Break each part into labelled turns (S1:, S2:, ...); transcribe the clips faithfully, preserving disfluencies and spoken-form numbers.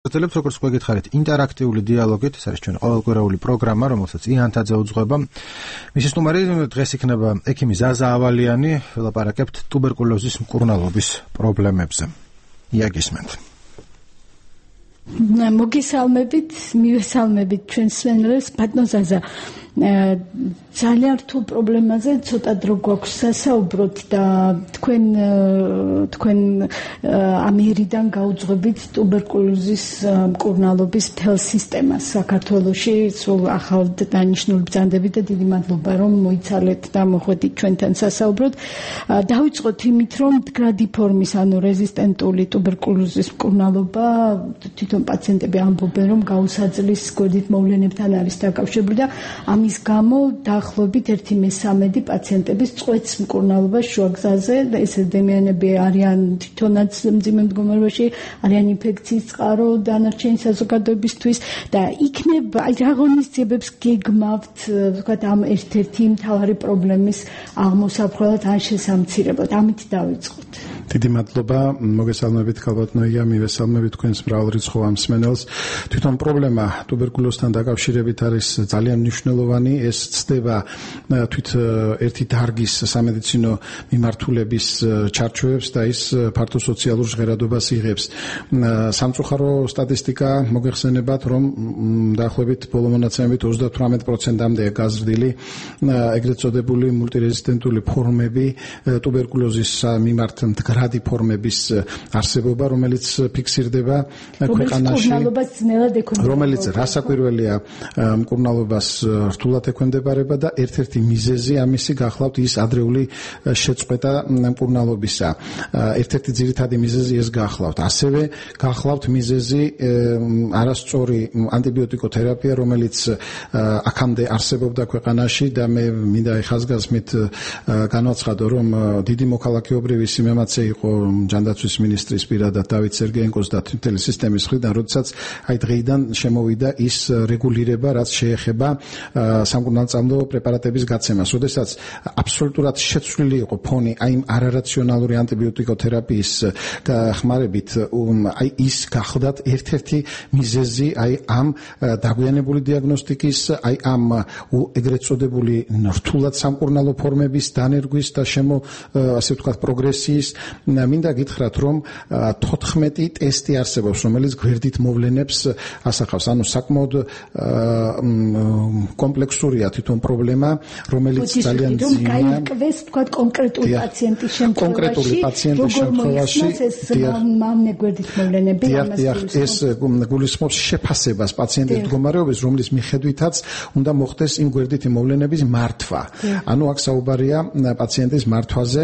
S1: გაწელებს როგორც გვეკითხარით ინტერაქტიული დიალოგით, ეს არის ჩვენი ყოველკვირეული პროგრამა, რომელსაც იანთაძე უძღვება. მისი სტუმარი დღეს იქნება ექიმი ზაზა ავალიანი, ველაპარაკებთ ტუბერკულოზის მკურნალობის პრობლემებზე. იაგისმენთ.
S2: მოგესალმებით, მივესალმებით ჩვენს მსმენელებს, ბატონ ზაზა. ძალიან რთულ პრობლემაზე ცოტა დრო გვაქვს სასაუბროთ და თქვენ თქვენ ამერიდან გაუძღვებით ტუბერკულოზის მკურნალობის მთელ სისტემას საქართველოში, სულ ახალ დანიშნული ბრძანდებით და დიდი მადლობა რომ მოიცალეთ და მოხვედით ჩვენთან სასაუბროთ. დავიწყოთ იმით, რომ მდგრადი ფორმის, ანუ რეზისტენტული ტუბერკულოზის მკურნალობა თვითონ პაციენტები ამბობენ, რომ გაუსაძლის გვერდით მოვლენებთან არის დაკავშირებული და ამის გამო დაახლოებით ერთი მესამედი პაციენტების წვეთს მკურნალობას შუაგზაზე და ეს ადამიანები არიან თვითონაც მძიმე მდგომარეობაში, არიან ინფექციის წყარო დანარჩენი საზოგადოებისთვის და იქნება აი რა ღონისძიებებს გეგმავთ, ვთქვათ, ამ ერთ-ერთი მთავარი პრობლემის აღმოსაფხვრელად ან შესამცირებლად. ამით დავიწყოთ.
S3: დიდი მადლობა, მოგესალმებით ქალბატონია, მივესალმებით თქვენს მრავალრიცხოვ მსმენელს. თვითონ პრობლემა ტუბერკულოზთან დაკავშირებით არის ძალიან მნიშვნელოვანი. ეს ცდება თვით ერთი დარგის სამედიცინო მიმართულების ჩარჩოებს და ის ფართო სოციალურ ჟღერადობას იღებს. სამწუხარო სტატისტიკა მოგეხსენებათ, რომ დაახლოებით ბოლო მონაცემებით ოცდათვრამეტ პროცენტამდეა გაზრდილი ეგრეთ წოდებული მულტირეზისტენტული ფორმები ტუბერკულოზის მიმართ მდგრადი ფორმების არსებობა, რომელიც ფიქსირდება ქვეყანაში, რომელიც რასაკვირველია მკურნალობას რთულად ექვემდებარება და ერთ-ერთი მიზეზი ამისი გახლავთ ის ადრეული შეწყვეტა მკურნალობისა. ერთ-ერთი ძირითადი მიზეზი ეს გახლავთ. ასევე გახლავთ მიზეზი არასწორი ანტიბიოტიკოთერაპია, რომელიც აქამდე არსებობდა ქვეყანაში და მე მინდა ეხაზგასმით განვაცხადო, რომ დიდი მოქალაქეობრივი სიმემაცე იყო ჯანდაცვის მინისტრის პირადად დავით სერგეენკოს და მთელი სისტემის მხრიდან, როდესაც აი დღეიდან შემოვიდა ის რეგულირება, რაც შეეხება სამკურნალწამლო პრეპარატების გაცემას, როდესაც აბსოლუტურად შეცვლილი იყო ფონი აი იმ არარაციონალური ანტიბიოტიკოთერაპიის ხმარებით, აი ის გახლდათ ერთ-ერთი მიზეზი აი ამ დაგვიანებული დიაგნოსტიკის, აი ამ ეგრეთ წოდებული რთულად სამკურნალო ფორმების დანერგვის და შემო ასე ვთქვათ პროგრესიის. მინდა გითხრათ, რომ თოთხმეტი ტესტი არსებობს, რომელიც გვერდით მოვლენებს ასახავს, ანუ sakmod კომპლექსურია თვითონ პრობლემა, რომელიც ძალიან ძიმეა.
S2: გაიკვეს თქვა კონკრეტული პაციენტის შემთხვევაში,
S3: კონკრეტული პაციენტის შემთხვევაში
S2: მამნე გვერდით მოვლენები
S3: ამას ეს გულისხმობს შეფასებას პაციენტის მდგომარეობის, რომლის მიხედვითაც უნდა მოხდეს იმ გვერდითი მოვლენების მართვა. ანუ აქ საუბარია პაციენტის მართვაზე,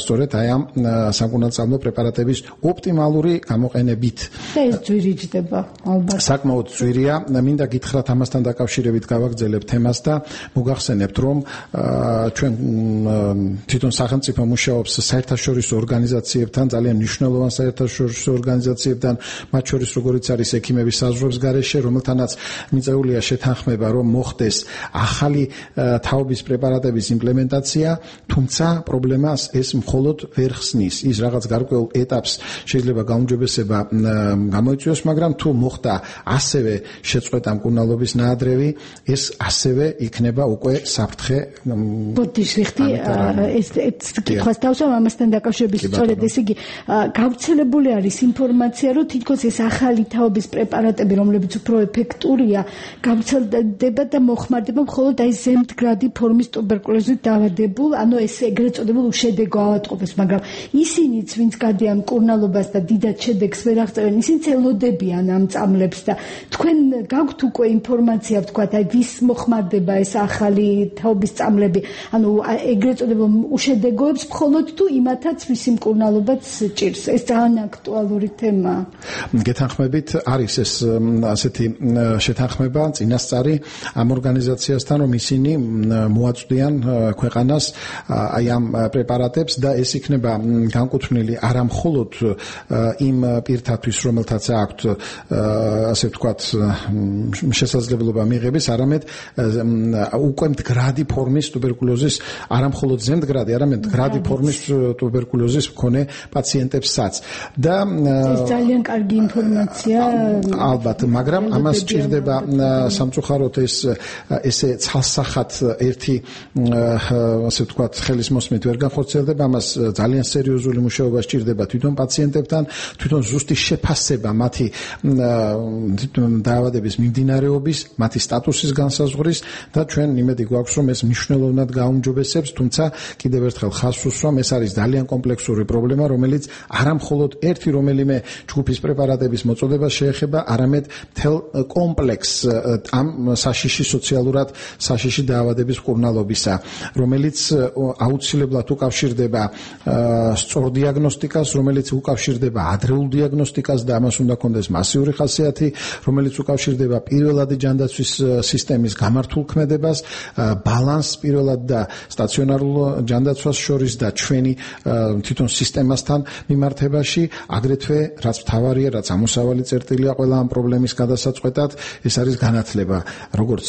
S3: სწორედ აი ამ სამკურნალწამლო პრეპარატების ოპტიმალური გამოყენებით.
S2: და ეს ძვირიჯდება ალბათ.
S3: საკმაოდ ძვირია. მინდა გითხრათ ამასთან დაკავშირებით გავაგრძელებ თემას და მოგახსენებთ, რომ ჩვენ თვითონ სახელმწიფო მუშაობს საერთაშორისო ორგანიზაციებთან, ძალიან მნიშვნელოვან საერთაშორისო ორგანიზაციებთან, მათ შორის როგორიც არის ექიმების საზღვრების გარეშე, რომელთანაც მიწეულია შეთანხმება, რომ მოხდეს ახალი თაობის პრეპარატების იმპლემენტაცია, თუმცა პრობლემას ეს მხოლოდ ვერ ხსნის. ის რაღაც გარკვეულ ეტაპს შეიძლება გაუმჯობესება გამოიწვიოს, მაგრამ თუ მოხდა ასევე შეწყვეტა მკურნალობის ნაადრევი, ეს ასევე იქნება უკვე საფრთხე.
S2: ბოდიშრიხტი ეს კითხვას დავსვამ ამასთან დაკავშირებით, სწორედ ეს იგი გავრცელებული არის ინფორმაცია, რომ თითქოს ეს ახალი თაობის პრეპარატები, რომლებიც უფრო ეფექტურია, გავრცელდება და მოხმარდება მხოლოდ აი ზემდგრადი ფორმის ტუბერკულოზით დაავადებულ, ანუ ეს ეგრეთ წოდებულ უშედეგო ავადმყოფებს, მაგრამ ისინიც, ვინც გადიან მკურნალობას და დიდად შედეგს ვერ აღწევენ, ისინიც ელოდებიან ამ წამლებს და თქვენ გაქვთ უკვე ინფორმაცია, ვთქვათ, აი ვის მოხმარდება ეს ახალი თაობის წამლები, ანუ ეგრეთ წოდებულ უშედეგოებს მხოლოდ თუ იმათაც ვისი მკურნალობაც ჭირს. ეს ძალიან აქტუალური თემაა.
S3: გეთანხმებით, არის ეს ასეთი შეთანხმება წინასწარი ამ ორგანიზაციასთან, რომ ისინი მოაწვდიან ქვეყანას აი ამ პრეპარატებს და ეს იქნება განკუთვნილი არა მხოლოდ იმ პირთათვის, რომელთაც აქვთ ასე ვთქვათ შესაძლებლობა მიღების, არამედ უკვე მდგრადი ფორმის ტუბერკულოზის, არა მხოლოდ ზემდგრადი, არამედ მდგრადი ფორმის ტუბერკულოზის მქონე პაციენტებსაც. და
S2: ეს ძალიან კარგი ინფორმაცია.
S3: ალბათ, მაგრამ ამას სჭირდება სამწუხაროდ ეს ესე ცალსახად ერთი ასე ვთქვათ ხელის მოსმით ვერ განხორციელდება, ამას ძალიან სერიოზული მუშაობა სჭირდება თვითონ პაციენტებთან, თვითონ ზუსტი შეფასება მათი დაავადების მიმდინარეობის, მათი სტატუსის განსაზღვრის და ჩვენ იმედი გვაქვს, რომ ეს მნიშვნელოვნად გაუმჯობესებს, თუმცა კიდევ ერთხელ ხაზს უსვამ, ეს არის ძალიან კომპლექსური პრობლემა, რომელიც არა მხოლოდ ერთი რომელიმე ჯგუფის პრეპარატების მოწოდებას შეეხება, არამედ მთელ კომპლექსს ამ საშიში სოციალურად საშიში დაავადების მკურნალობისა, რომელიც აუცილებლად უკავშირდება სწორ დიაგნოსტიკას, რომელიც უკავშირდება ადრეულ დიაგნოსტიკას და ამას უნდა ქონდეს მასიური ხასიათი, რომელიც უკავშირდება პირველადი ჯანდაცვის სისტემის გამართულ ქმედებას, ბალანსს პირველად და სტაციონარულ ჯანდაცვას შორის და ჩვენი თვითონ სისტემასთან მიმართებაში, აგრეთვე რაც მთავარია, რაც ამოსავალი წერტილია ყველა ამ პრობლემის გადასაწყვეტად, ეს არის განათლება, როგორც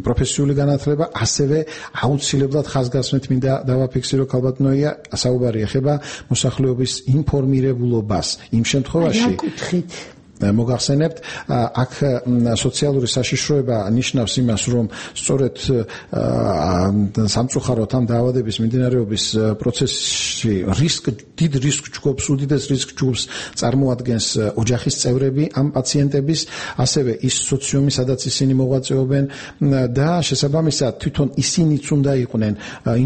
S3: პროფესიული განათლება, ასევე აუცილებლად ხაზგასმით მინდა დავაფიქსირო ქალბატონია, საუბარი ეხება მოსახლეობის ინფორმირებულობას იმ შემთხვევაში, მოგახსენებთ, აქ სოციალური საშიშროება ნიშნავს იმას, რომ სწორედ სამწუხაროდ ამ დაავადების მიმდინარეობის პროცესში რისკ დიდ რისკ ჯგუფს, უდიდეს რისკ ჯგუფს წარმოადგენს ოჯახის წევრები ამ პაციენტების, ასევე ის სოციუმი, სადაც ისინი მოღვაწეობენ და შესაბამისად თვითონ ისინიც უნდა იყვნენ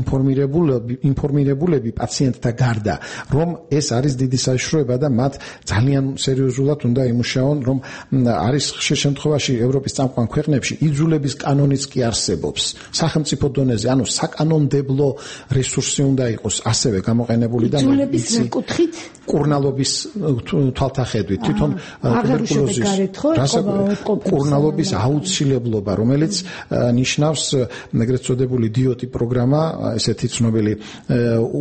S3: ინფორმირებულები, ინფორმირებულები პაციენტთა გარდა, რომ ეს არის დიდი საშიშროება და მათ ძალიან სერიოზულად უნდა მუშაონ, რომ არის ხშირ შემთხვევაში ევროპის წამყვან ქვეყნებში იძულების კანონიც კი არსებობს. სახელმწიფო დონეზე, ანუ საკანონმდებლო რესურსი უნდა იყოს ასევე გამოყენებული და
S2: იძულების კუთხით
S3: კურნალობის თვალთახედვით, თვითონ ტუბერკულოზის კურნალობის აუცილებლობა, რომელიც ნიშნავს ეგრეთ წოდებული დიოტი პროგრამა, ესეთი ცნობილი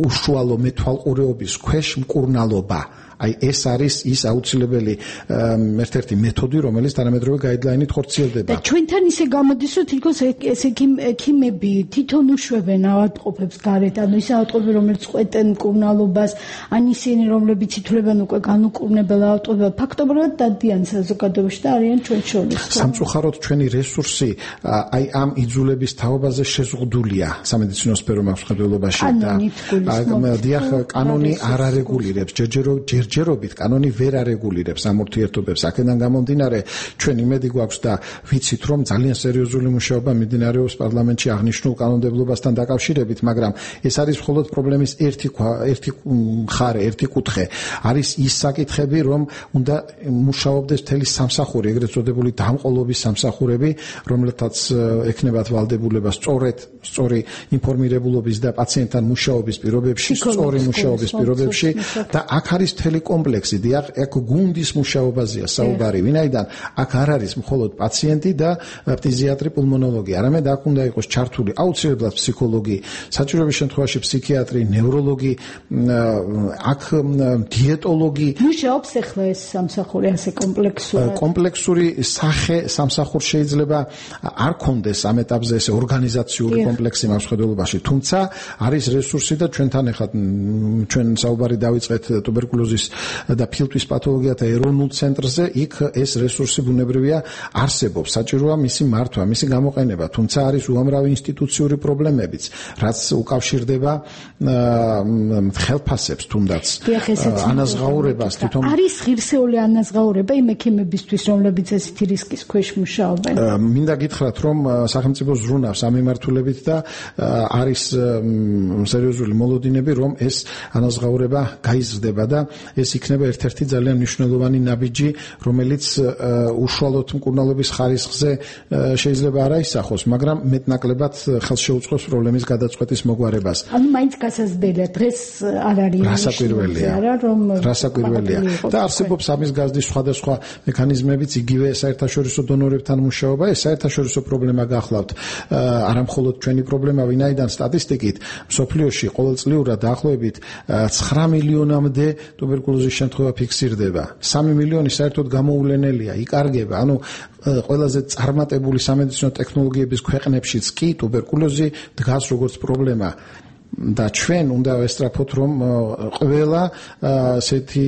S3: უშუალო მეთვალყურეობის ქვეშ მკურნალობა. აი ეს არის ის აუცილებელი ერთ-ერთი მეთოდი, რომელიც თანამედროვე გაიდლაინით ხორციელდება.
S2: და ჩვენთან ისე გამოდის, რომ თითქოს ეს ექიმები თვითონ უშვებენ ავადმყოფებს გარეთ, ანუ ის ავადმყოფები, რომელიც ყვეტენ მკურნალობას, ან ისინი, რომლებიც ითვლებიან უკვე განუკურნებელ ავადმყოფებად, ფაქტობრივად დადიან საზოგადოებაში და არიან ჩვენ შორის.
S3: სამწუხაროდ ჩვენი რესურსი აი ამ იძულების თაობაზე შეზღუდულია სამედიცინო სფეროში და დიახ, კანონი არ არეგულირებს ჯერჯერობით ჯერჯერობით კანონი ვერ არეგულირებს ამ ურთიერთობებს. აქედან გამომდინარე, ჩვენ იმედი გვაქვს და ვიცით, რომ ძალიან სერიოზული მუშაობა მიმდინარეობს პარლამენტში აღნიშნულ კანონმდებლობასთან დაკავშირებით, მაგრამ ეს არის მხოლოდ პრობლემის ერთი ერთი მხარე, ერთი კუთხე. არის ის საკითხები, რომ უნდა მუშაობდეს მთელი სამსახური, ეგრეთ წოდებული დამყოლობის სამსახურები, რომელთაც ექნებათ ვალდებულება სწორედ სწორი ინფორმირებულობის და პაციენტთან მუშაობის პირობებში, სწორი მუშაობის პირობებში და აქ არის მთელი კომპლექსი, დიახ, აქ გუნდის მუშაობაზეა საუბარი, ვინაიდან აქ არ არის მხოლოდ პაციენტი და ფტიზიატრი, პულმონოლოგი, არამედ აქ უნდა იყოს ჩართული აუცილებლად ფსიქოლოგი, საჭიროების შემთხვევაში ფსიქიატრი, ნევროლოგი, აქ დიეტოლოგი.
S2: მუშაობს ახლა ეს სამსახური ასე კომპლექსურად.
S3: კომპლექსური სახე სამსახურს შეიძლება არ ქონდეს ამ ეტაპზე ესე ორგანიზაციული კომპლექსი მავსხედველობაში, თუმცა არის რესურსი და ჩვენთან ახლა ჩვენ საუბარი დავიწყეთ ტუბერკულოზის და ფილტვის პათოლოგიათა ეროვნულ ცენტრზე, იქ ეს რესურსი ბუნებრივია არსებობს, საჭიროა მისი მართვა, მისი გამოყენება, თუმცა არის უამრავი ინსტიტუციური პრობლემებიც, რაც უკავშირდება ხელფასებს თუნდაც ანაზღაურებას თვითონ
S2: არის ღირსეული ანაზღაურება იმ ექიმებისთვის, რომლებიც ესეთი რისკის ქვეშ მუშაობენ.
S3: მინდა გითხრათ, რომ სახელმწიფო ზრუნავს ამ მიმართულებით და არის სერიოზული მოლოდინები, რომ ეს ანაზღაურება გაიზრდება და ეს იქნება ერთ-ერთი ძალიან მნიშვნელოვანი ნაბიჯი, რომელიც უშუალოდ მკურნალობის ხარისხზე შეიძლება არ აისახოს, მაგრამ მეტნაკლებად ხელს შეუწყობს პრობლემის გადაწყვეტის მოგვარებას.
S2: ანუ მაინც გასაზრდელია, დღეს არ არის
S3: რასაკვირველია,
S2: რომ
S3: რასაკვირველია და არსებობს ამის გაზრდის სხვადასხვა მექანიზმებიც, იგივე საერთაშორისო დონორებთან მუშაობა, ეს საერთაშორისო პრობლემა გახლავთ, არა მხოლოდ ჩვენი პრობლემა, ვინაიდან სტატისტიკით მსოფლიოში ყოველწლიურად დაახლოებით ცხრა მილიონამდე ტუბერკულოზის შემთხვევა ფიქსირდება. სამი მილიონი საერთოდ გამოუვლენელია, იკარგება. ანუ ყველაზე წარმატებული სამედიცინო ტექნოლოგიების ქვეყნებშიც კი ტუბერკულოზი დგას როგორც პრობლემა. და ჩვენ უნდა ვესწრაფოთ, რომ ყველა ასეთი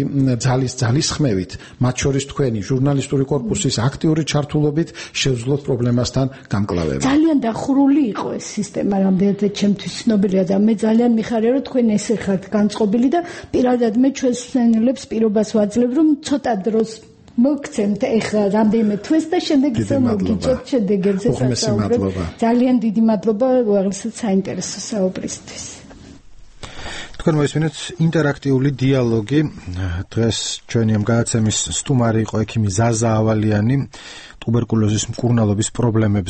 S3: ძალის ძალისხმევით, მათ შორის თქვენი ჟურნალისტური კორპუსის აქტიური ჩართულობით შევძლოთ პრობლემასთან გამკლავება.
S2: ძალიან დახურული იყო ეს სისტემა, რამდენად ჩემთვის ცნობილია და მე ძალიან მიხარია, რომ თქვენ ესე ხართ განწყობილი და პირადად მე ჩვენს მსმენელებს პირობას ვაძლევ, რომ ცოტა დროს მოგცემთ ეხლა რამდენიმე თვეს და შემდეგ ისე მოგიჭოთ შემდეგ ერთზე
S3: საუბრობთ.
S2: ძალიან დიდი მადლობა უაღრესად საინტერესო საუბრისთვის.
S1: თქვენ მოისმინეთ ინტერაქტიული დიალოგი. დღეს ჩვენი ამ გადაცემის სტუმარი იყო ექიმი ზაზა ავალიანი, ტუბერკულოზის მკურნალობის პრობლემებს